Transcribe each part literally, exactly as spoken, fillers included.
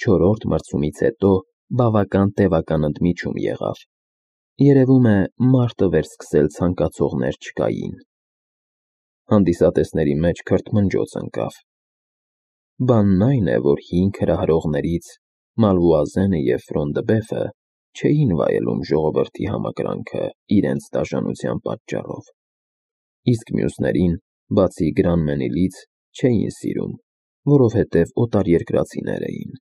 Չորրորդ մրցումից հետո բավական տևական ընդմիջում եղավ. երևում է, մարտը վերսկսել ցանկացողներ չկային։ Հանդիսատեսների մեջ քրթմնջոց ընկավ։ Բանն այն է, որ հինգ հրահրողներից Մալվուազենը և Ֆրոնդբեֆը չէին վայելում ժողովրդի համակրանքը իրենց դաժանության պատճառով, իսկ մյուսներին, բացի Գրանմենիլից, չէին սիրում, որովհետև օտարերկրացիներ էին։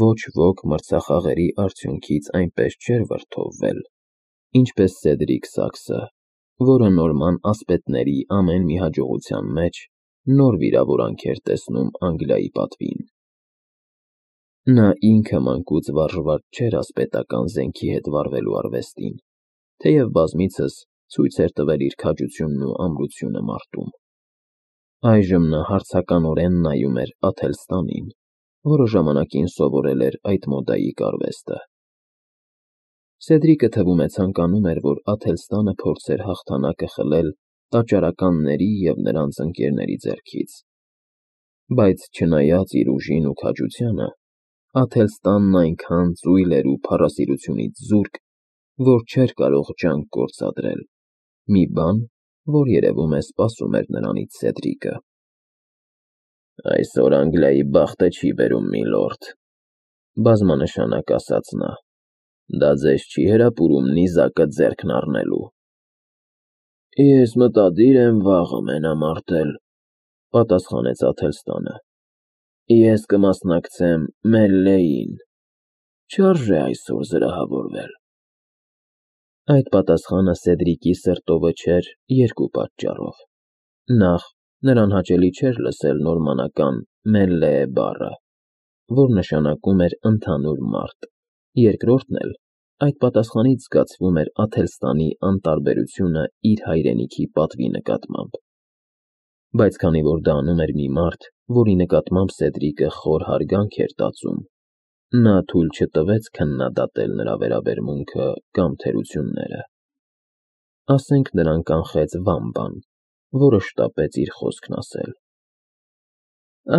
Ոչ ոք մրցախաղերի արդյունքից այնպես չէր վրդովվել, ինչպես Սեդրիկ Սաքսը, որը նորման ասպետների ամեն մի հաջողության մեջ նոր վիրավորանք էր տեսնում Անգլիայի պատվին։ Նա ինքը մանկուց վարժված չէր ասպետական զենքի հետ վարվելու արվեստին, թեև բազմիցս ցույց էր տվել իր քաջությունն ու ամրությունը մարտում։ Այժմ նա հարցականորեն նայում էր Աթելստանին, որը ժամանակին սովորել էր այդ մոդայիկ արվեստը։ Սեդրիկը թվում է ցանկանում էր, որ Աթելստանը փորձեր հաղթանակը խլել տաճարականների և նրանց ընկերների ձեռքից։ Բայց չնայած իր ուժին ու քաջությանը, Աթելստանն այնքան ծույլ էր ու փառասիրությունից զուրկ, որ չէր կարող ջանք գործադրել, մի բան, որ երևում է սպասում էր նրանից Սեդրիկը։ «Այսօր Անգլիայի բախտը չի բերում, միլորդ,» բազմանշանակ ասաց նա։ «Դա ձեզ չի հրապուրում նիզակը ձեռքն առնելու»։ «Ես մտադիր եմ վաղը մենամարտել,» պատասխանեց Աթելստանը։ «Ես կմասնակցեմ մելլեին, չարժե այսօր զրահավորվել»։ Այդ պատասխանը Սեդրիկի սրտովը չէր երկու պատճառով. նախ, նրան հաճելի չէր լսել նորմանական «մելլեե» բառը, որ նշանակում էր ընդհանուր մարտ, երկրորդն էլ, այդ պատասխանից զգացվում էր Աթելստանի անտարբերությունը իր հայրենիքի պատվի նկատմամբ։ Բայց քանի որ դա անում էր մի մարդ, որի նկատմամբ Սեդրիկը խոր հարգանք էր տածում, նա թույլ չտվեց քննադատել նրա վերաբերմունքը կամ թերությունները։ Ասենք նրան կանխեց Վամբան, որը շտապեց իր խոսքն ասել։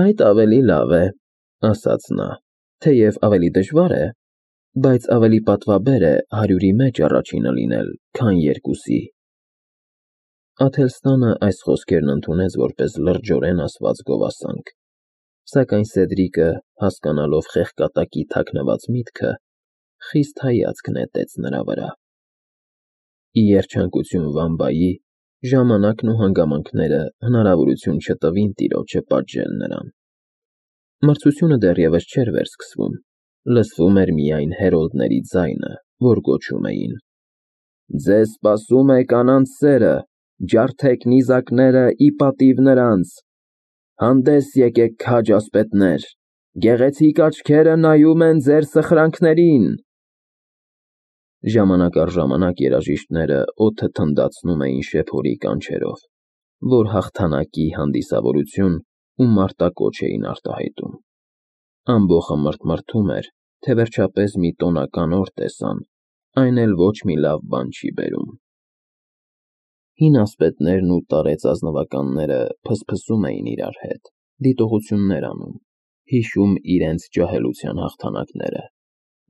«Այդ ավելի լավ է,» ասաց նա, «թեև ավելի դժվար է, բայց ավելի պատվաբեր է հարյուրի մեջ առաջինը լինել, քան երկուսի»։ Աթելստանը այս խոսքերն ընդունեց որպես լրջորեն ասված գովասանք, սակայն Սեդրիկը, հասկանալով խեղկատակի թաքնված միտքը, խիստ հայացք նետեց նրա վրա։ Ի երջանկություն Վամբայի, ժամանակն ու հանգամանքները հնարավորություն չտվին տիրոջը պատժել նրան։ Մրցությունը դեռևս չէր վերսկսվում, լսվում էր միայն հերոլդների ձայնը, որ գոչում էին. «Ձեզ սպասում է կանանց սերը, ջարդեք նիզակները ի պատիվ նրանց, հանդես եկեք քաջ ասպետներ, գեղեցիկ աչքերը նայում են ձեր սխրանքներին»։ Ժամանակ առ ժամանակ երաժիշտները օդը թնդացնում էին շեփորի կանչերով, որ հաղթանակի հանդիսավորություն ու մարտակոչ էին արտահայտում։ Ամբոխը մրթմրթում էր, թե վերջապես մի տոնական օր տեսան, այն էլ ոչ մի լավ բան չի բերում։ Հին ասպետներն ու տարեց ազնվականները փսփսում էին իրար հետ, դիտողություններ անում, հիշում իրենց ջահելության հաղթանակները,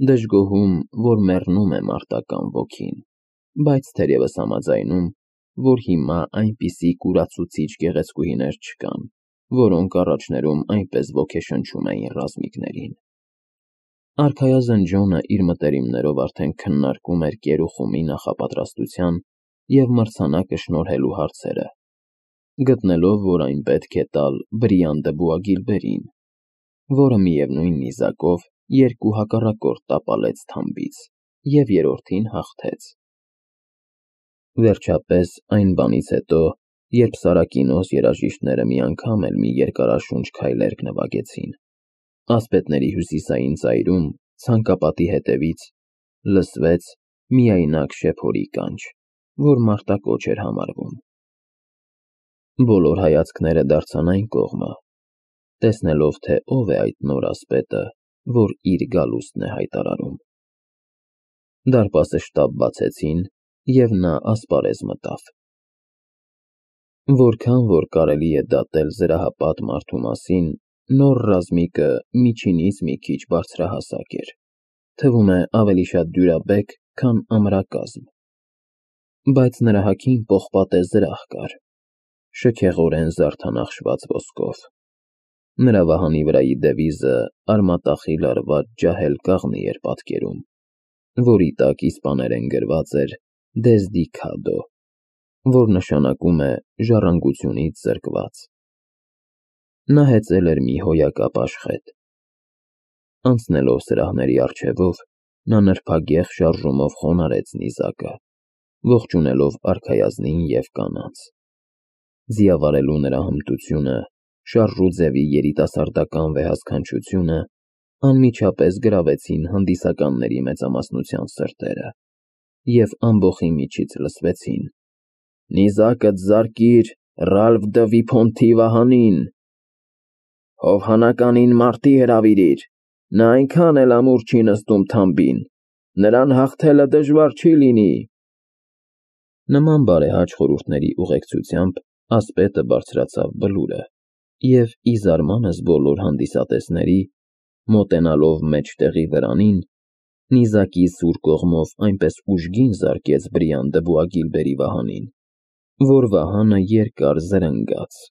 դժգոհում, որ մեռնում է մարտական ոգին, բայց թերևս համաձայնում, որ հիմա այնպիսի կուրացուցիչ գեղեցկուհիներ չկան, որոնք առաջներում այնպես ոգեշնչում էին ռազմիկներին։ Արքայազն Ջոնը իր մտերիմներով արդեն քննարկում էր կերուխումի նախապատրաստության և մրցանակը շնորհելու հարցերը, գտնելով, որ այն պետք է տալ Բրիան դը Բուագիլբերին, որը միևնույն նիզակով երկու հակառակորդ տապալեց թամբից և երրորդին հաղթեց։ Վերջապես, այն բանից հետո, երբ Սարակինոս երաժիշտները մի անգամ էլ մի երկարաշունչ քայլերգ նվագեցին, ասպետների հյուսիսային ծայրում, ցանկապատի հետևից, լսվեց միայնակ շեփորի կանչ, որ մարտակոչ էր համարվում։ Բոլոր հայացքները դարձան այն կողմը, տեսնելով, թե ով է այդ նոր ասպետը, որ իր գալուստն է հայտարարում։ Դարպասը շտապ բացեցին, և նա ասպարեզ մտավ։ Որքան որ կարելի է դատել զրահապատ մարդու մասին, նոր ռազմիկը միջինից մի քիչ բարձրահասակ էր, թվում է ավելի շատ դյուրաբեկ, քան ամրակազմ, բայց նրա հագին պողպատե զրահ կար, շքեղորեն զարդանախշված ոսկով, նրա վահանի վրայի դևիզը արմատախիլ արված ջահել կաղնի էր պատկերում, որի տակ իսպաներեն գրված էր «Desde Cado», որ նշանակում է ժառանգությունից զրկված։ Նա հեծել էր մի հոյակապ աշխետ։ Անցնելով սրահների առջևով, նա նրբագեղ շարժումով խոնարհեց նիզակը, ողջունելով արքայազնին և կանանց։ Ձիավարելու նրա հմտությունը, շարժու ձևի երիտասարդական վեհասքանչությունը անմիջապես գրավեցին հանդիսականների մեծամասնության սրտերը և ամբոխի միջից լսվեցին. «Նիզակդ զարկիր Ռալֆ դը Վիփոնտի վահանին, հովհանականին մարտի հրավիրիր, նա այնքան էլ ամուր չի նստում թամբին, նրան հաղթելը դժվար չի լինի»։ Նման բարեհաճ խորհուրդների ուղեկցությամբ ասպետը բարձրացավ բլուրը և, ի զարմանս բոլոր հանդիսատեսների, մոտենալով մեջտեղի վրանին, նիզակի սուր կողմով այնպես ուժգին զարկեց բրիանդը Բուագիլբերի վահանին, որ վահանը երկար զրնգաց։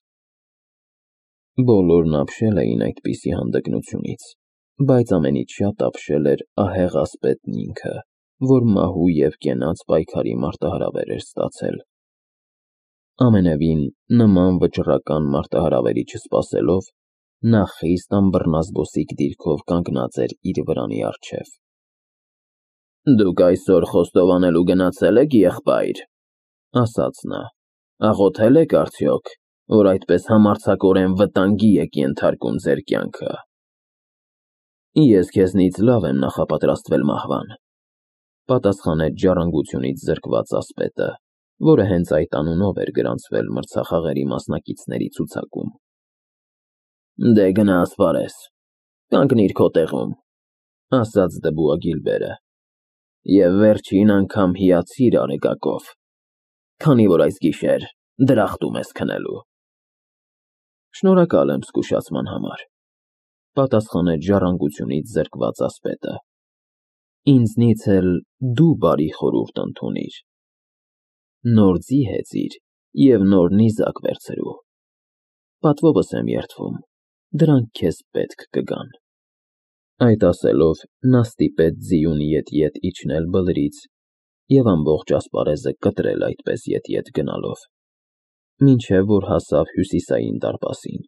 Բոլորն ապշել էին այդպիսի հանդգնությունից, բայց ամենից շատ ապշել էր ահեղ ասպետն ինքը, որ մահու և կենաց պայքարի մարտահրավեր էր ստացել։ Ամենևին նման վճռական մարտահրավերի չսպասելով, նա խիստ անբռնազբոսիկ դիրքով կանգնած էր իր վրանի առջև։ «Դուք այսօր խոստովանելու գնացե՞լ եք, եղբայր», ասաց նա, «աղոթե՞լ եք արդյոք, որ այդպես համարձակորեն վտանգի եք ենթարկում ձեր կյանքը»։ «Ես քեզնից լավ եմ նախապատրաստվել մահվան», պատասխանեց ժառանգությունից զրկված ասպետը, որը հենց այդ անունով էր գրանցվել մրցախաղերի մասնակիցների ցուցակում։ «Դե գնա ասպարեզ, կանգնիր քո տեղում», ասաց դը Բուագիլբերը, «և վերջին անգամ հիացիր Արեգակով, քանի որ այս գիշեր դրախտում ես քնելու»։ «Շնորհակալ եմ զգուշացման համար», պատասխանեց ժառանգությունից զրկված ասպետը, «ինձնից էլ դու բարի խորհուրդ ընդունիր. նոր ձի հեծիր և նոր նիզակ վերցրու, պատվովս եմ երդվում, դրանք քեզ պետք կգան»։ Այդ ասելով, նա ստիպեց ձիուն ետ֊ետ իջնել բլրից և ամբողջ ասպարեզը կտրել այդպես ետ֊ետ գնալով, մինչև որ հասավ հյուսիսային դարպասին։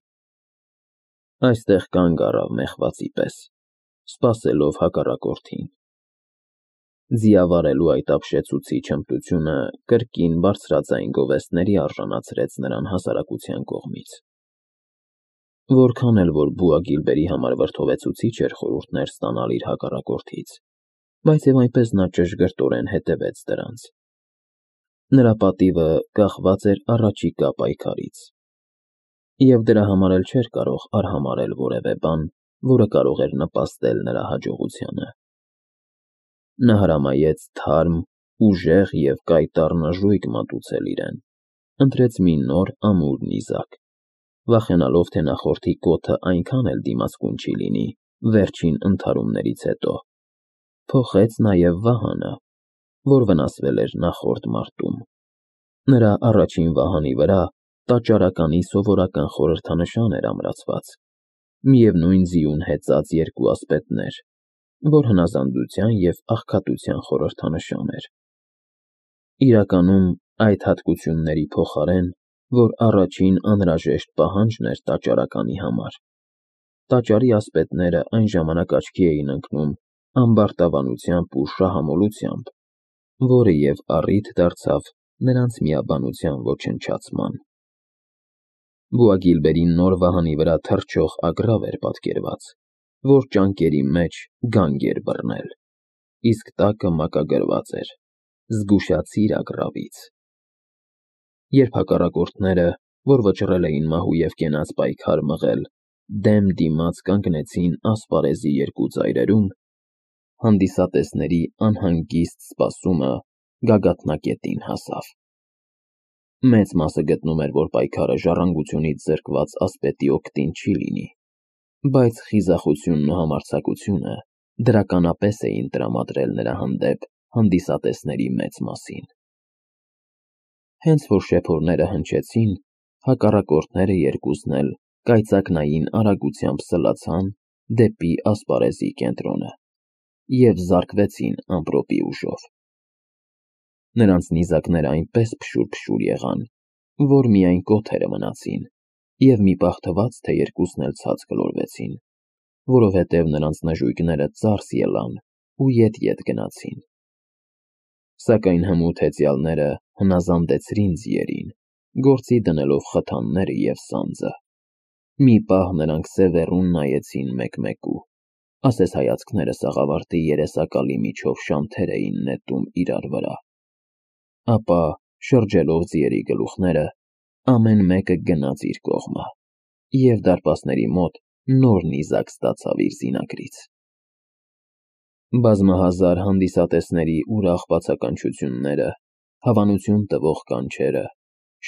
Այստեղ կանգ առավ մեղվածի պես, սպասելով հակառակորդին։ Ձիավարելու այդ ապշեցուցիչ հմտությունը կրկին բարձրաձայն գովեստների արժանացրեց նրան հասարակության կողմից։ Որքան էլ որ Բուագիլբերի համար վրդովեցուցիչ էր խորհուրդներ ստանալ իր հակառակորդից, բայց և այնպես նա ճշգրտորեն հետևեց դրանց։ Նրա պատիվը կախված էր առաջիկա պայքարից, և դրա համար էլ չէր կարող արհամարհել որևէ բան, որը կարող էր նպաստել նրա հաջողությանը։ Նա հրամայեց թարմ, ուժեղ և կայտառ նժույգ մատուցել իրեն, ընտրեց մի նոր ամուր նիզակ, վախենալով, թե նախորդի կոթը այնքան էլ դիմացկուն չի լինի վերջին ընդհարումներից հետո, փոխեց նաև վահանը, որ վնասվել էր նախորդ մարտում։ Նրա առաջին վահանի վրա տաճարականի սովորական խորհրդանշան էր ամրացված, միևնույն ձիուն հեծած երկու ասպետներ, որ հնազանդության և աղքատության խորհրդանշան էր։ Իրականում այդ հատկությունների փոխարեն, որ առաջին անհրաժեշտ պահանջն էր տաճարականի համար, տաճարի ասպետները այն ժամանակ աչքի էին ընկնում ամբարտավանությամբ ու շահամոլությամբ, որը և առիթ դարձավ նրանց միաբանության ոչնչացման։ Բուագիլբերի նոր վահանի վրա թռչող ագռավ էր պատկերված, որ ճանկերի մեջ գանգ էր բռնել, իսկ տակը մակագրված էր. «Զգուշացիր ագռավից»։ Երբ հակառակորդները, որ վճռել էին մահու և կենաց պայքար մղել, դեմ դիմաց կանգնեցին ասպարեզի երկու ծայրերում, հանդիսատեսների անհանգիստ սպասումը գագաթնակետին հասավ։ Մեծ մասը գտնում էր, որ պայքարը ժառանգությունից զրկված ասպետի օգտին չի լինի, բայց խիզախությունն ու համարձակությունը դրականապես էին տրամադրել նրա հանդեպ հանդիսատեսների մեծ մասին։ Հենց որ շեփորները հնչեցին, հակառակորդները երկուսն էլ կայծակնային արագությամբ սլացան դեպի ասպարեզի կենտրոնը և զարկվեցին ամպրոպի ուժով։ Նրանց նիզակները այնպես փշուր-փշուր եղան, որ միայն կոթերը մնացին, և մի պահ թվաց, թե երկուսն էլ ցած գլորվեցին, որովհետև նրանց նժույգները ծարս ելան ու ետ-ետ գնացին։ Սակայն հմուտ հեծյալները հնազանդեցրին ձիերին, գործի դնելով խթանները և սանձը։ Մի պահ նրանք սևեռուն նայեցին մեկ-մեկու, ասես հայացքները սաղավարտի երեսակալի միջով շանթեր էին նետում իրար վրա։ Ապա, շրջելով ձիերի գլուխները, ամեն մեկը գնաց իր կողմը, և դարպասների մոտ նոր նիզակ ստացավ իր զինակից։ Բազմահազար հանդիսատեսների ուրախ բացականչությունները, հավանություն տվող կանչերը,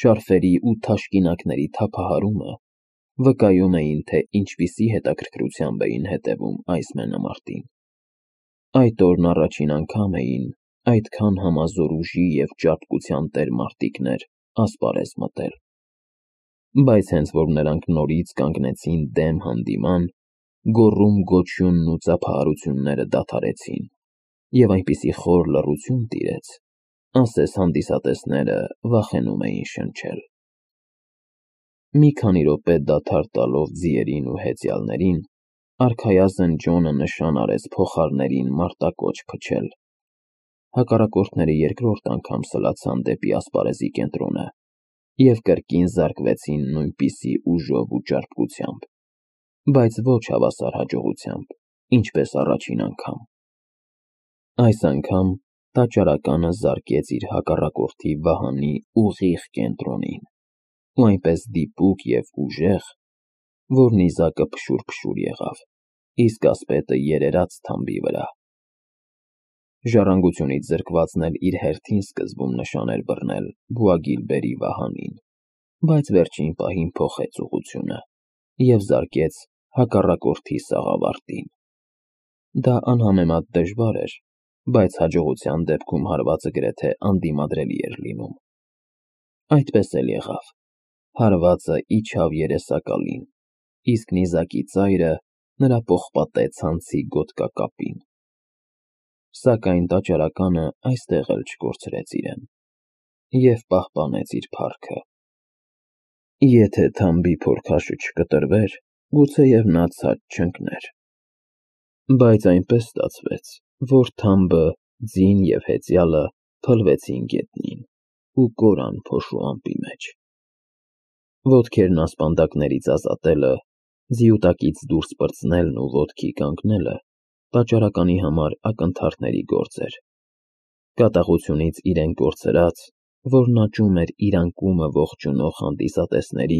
շարֆերի ու թաշկինակների թափահարումը վկայում էին, թե ինչպիսի հետաքրքրությամբ էին հետևում այս մենամարտին։ Այդ օրն առաջին անգամ էին այդքան համազոր ուժի և ճարպկության տեր մարտիկներ ասպարեզ մտել։ Բայց հենց որ նրանք նորից կանգնեցին դեմ հանդիման, գոռում-գոչյունն ու ծափահարությունները դադարեցին, և այնպիսի խոր լռություն տիրեց, ասես հանդիսատեսները վախենում էին շնչել։ Մի քանի րոպե դադար տալով ձիերին ու հեծյալներին, արքայազն Ջոնը նշան արեց փողահարներին մարտակոչ փչել։ Հակառակորդները երկրորդ անգամ սլացան դեպի ասպարեզի կենտրոնը և կրկին զարկվեցին նույնպիսի ուժով ու ճարպկությամբ, բայց ոչ հավասար հաջողությամբ, ինչպես առաջին անգամ։ Այս անգամ տաճարականը զարկեց իր հակառակորդի վահանի ուղիղ կենտրոնին, ու այնպես դիպուկ և ուժեղ, որ նիզակը փշուր-փշուր եղավ, իսկ ասպետը երերաց թամբի վրա։ Ժառանգությունից զրկվածն էլ իր հերթին սկզբում նշան էր բռնել Բուագիլբերի վահանին, բայց վերջին պահին փոխեց ուղղությունը և զարկեց հակառակորդի սաղավարտին։ Դա անհամեմատ դժվար էր, բայց հաջողության դեպքում հարվածը գրեթե անդիմադրելի էր լինում։ Այդպես էլ եղավ. հարվածը իջավ երեսակալին, իսկ նիզակի ծայրը նրա պողպատե ցանցի գոտկակապին։ Սակայն տաճարականը այստեղ էլ չկորցրեց իրեն և պահպանեց իր փառքը։ Եթե թամբի փորքաշը չկտրվեր, գուցեև նա ցած չընկներ։ Բայց այնպես ստացվեց, որ թամբը, ձին և հեծյալը փլվեցին գետնին ու կորան փոշու ամպի մեջ։ Ոտքերն ասպանդակներից ազատելը, ձիուտակից դուրս պրծնելն ու ոտքի կանգնելը տաճարականի համար ակնթարթների գործ էր։ Կատաղությունից իրեն կորցրած, որն աճում էր իր անկումը ողջունող հանդիսատեսների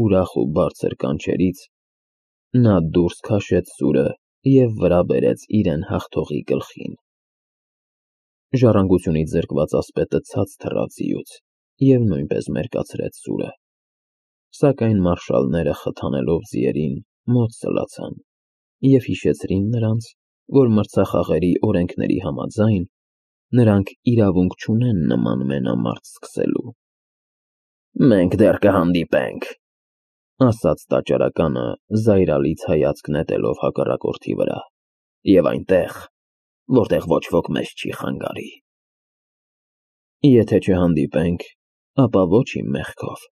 ուրախ ու բարձր կանչերից, նա դուրս քաշեց սուրը և վրա բերեց իրեն հաղթողի գլխին։ Ժառանգությունից զրկված ասպետը ցած թռավ ձիուց և նույնպես մերկացրեց սուրը։ Սակայն մարշալները խթանելով ձիերին մոտ սլացան և հիշեցրին նրանց, որ մրցախաղերի օրենքների համաձայն նրանք իրավունք չունեն նման մենամարտ սկսելու։ «Մենք դեռ կհանդիպենք», ասաց տաճարականը զայրալից հայացք նետելով հակառակորդի վրա, «և այնտեղ, որտեղ ոչ ոք մեզ չի խանգարի»։ Եթե չհանդիպենք, ապա ոչ իմ մեղքով,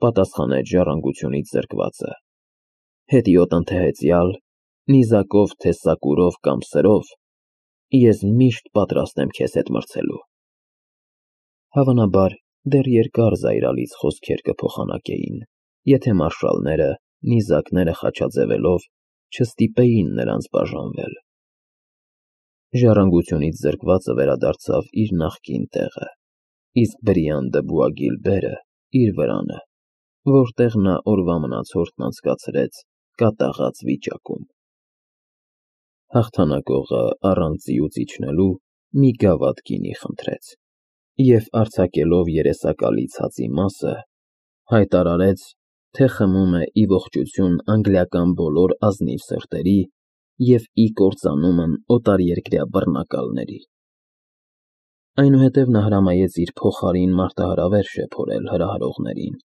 պատասխանեց ժառանգությունից զրկվածը։ Հետիոտ ընթեհեծյալ, նիզակով թե սակուրով կամ սրով, ես միշտ պատրաստ եմ քեզ հետ մրցելու։ Հավանաբար, դեռ երկար զայրալից խոսքեր կփոխանակեին, եթե մարշալները, նիզակները խաչաձևելով, չստիպեին նրանց բաժանվել։ Ժառանգությունից զրկվածը վերադարձավ իր նախկին տեղը, իսկ Բրիանդը Բուագիլբերը՝ իր վրանը, որտեղ նա օրվա մնացորդն անցկացրեց կատաղած վիճակում։ Հաղթանակողը առանց ձիուց իջնելու մի գավաթ գինի խնդրեց և արձակելով երեսակալի ցածի մասը, հայտարարեց, թե խմում է ի ողջություն անգլիական բոլոր ազնիվ սրտերի և ի կործանումն օտարերկրյա բռնակալների։ Այնուհետև նա հրամայեց իր փոխարին մարտահրավեր շեփորել հրահրողներին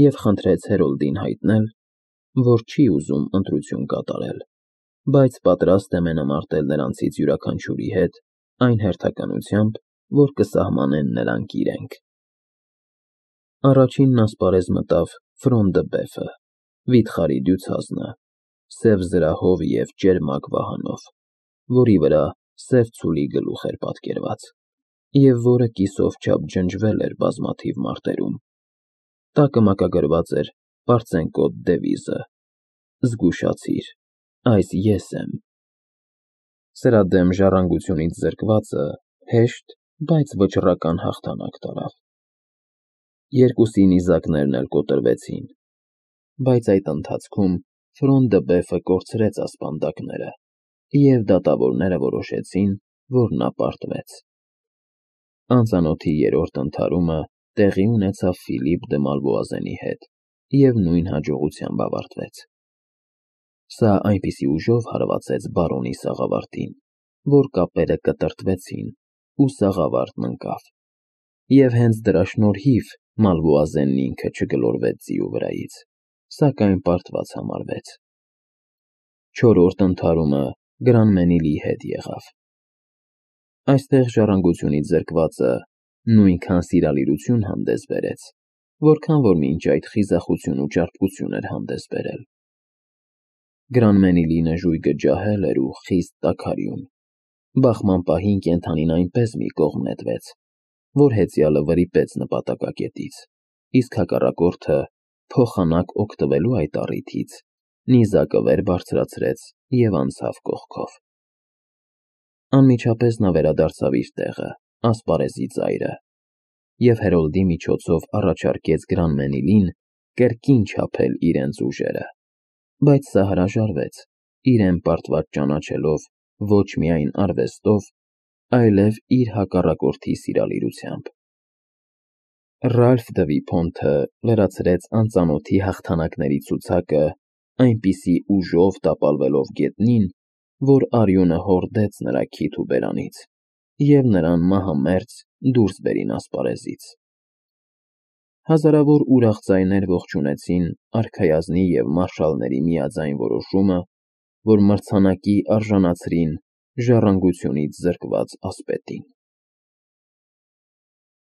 և խնդրեց Հերոլդին հայտնել, որ չի ուզում ընտրություն կատարել, բայց պատրաստ է մենամարտել նրանցից յուրաքանչյուրի հետ այն հերթականությամբ, որ կսահմանեն նրանք իրենք։ Առաջինն ասպարեզ մտավ Ֆրոն դը Բեֆը, վիթխարի դյուցազնը, սև զրահով և ճերմակ վահանով, որի վրա սև ցուլի գլուխ էր պատկերված, և որը կիսով չափ ջնջվել էր բազմաթիվ մարտերում։ Տակը մակագրված էր պարծենկոտ դևիզը. «Զգուշացիր, այս ես եմ»։ Սրա դեմ ժառանգությունից զրկվածը հեշտ, բայց վճռական հաղթանակ տարավ։ Երկուսի նիզակներն էլ կոտրվեցին, բայց այդ ընթացքում Ֆրոն դը Բեֆը կորցրեց ասպանդակները, և դատավորները որոշեցին, որ նա պարտվեց։ Անծանոթի երրորդ ընդհարումը տեղի ունեցավ Ֆիլիպ դը Մալվոազենի հետ և նույն հաջողությամբ ավարտվեց։ Սա այնպիսի ուժով հարվածեց բարոնի սաղավարտին, որ կապերը կտրտվեցին, ու սաղավարտն ընկավ, և հենց դրա շնորհիվ Մալվոազենն ինքը չգլորվեց ձիու վրայից, սակայն պարտված համարվեց։ Չորրորդ ընդհարումը Գրանմենիլի հետ եղավ։ Այստեղ ժառանգությունից զրկվածը նույնքան սիրալիրություն հանդես բերեց, որքան որ մինչ այդ խիզախություն ու ճարպկություն էր հանդես բերել։ Գրանմենիլի նժույգը ջահել էր ու խիստ տաքարյուն։ Բախման պահին կենդանին այնպես մի կողմ նետվեց, որ հեծյալը վրիպեց նպատակակետից, իսկ հակառակորդը, փոխանակ օգտվելու այդ առիթից, նիզակը վեր բարձրացրեց և անցավ կողքով։ Անմիջապես նա վերադարձավ իր տեղը, ասպարեզի ծայրը, և Հերոլդի միջոցով առաջարկեց Գրանմենիլին կրկին չափել իրենց ուժերը, բայց սա հրաժարվեց, իրեն պարտված ճանաչելով ոչ միայն արվեստով, այլև իր հակառակորդի սիրալիրությամբ։ Ռալֆ դը Վիփոնտը լրացրեց անծանոթի հաղթանակների ցուցակը այնպիսի ուժով տապալվելով գետնին, որ արյունը հորդեց նրա քիթ ու բերանից, և նրան մահամերձ դուրս բերին ասպարեզից։ Հազարավոր ուրախ ձայներ ողջունեցին արքայազնի և մարշալների միաձայն որոշումը, որ մրցանակի արժանացրին ժառանգությունից զրկված ասպետին։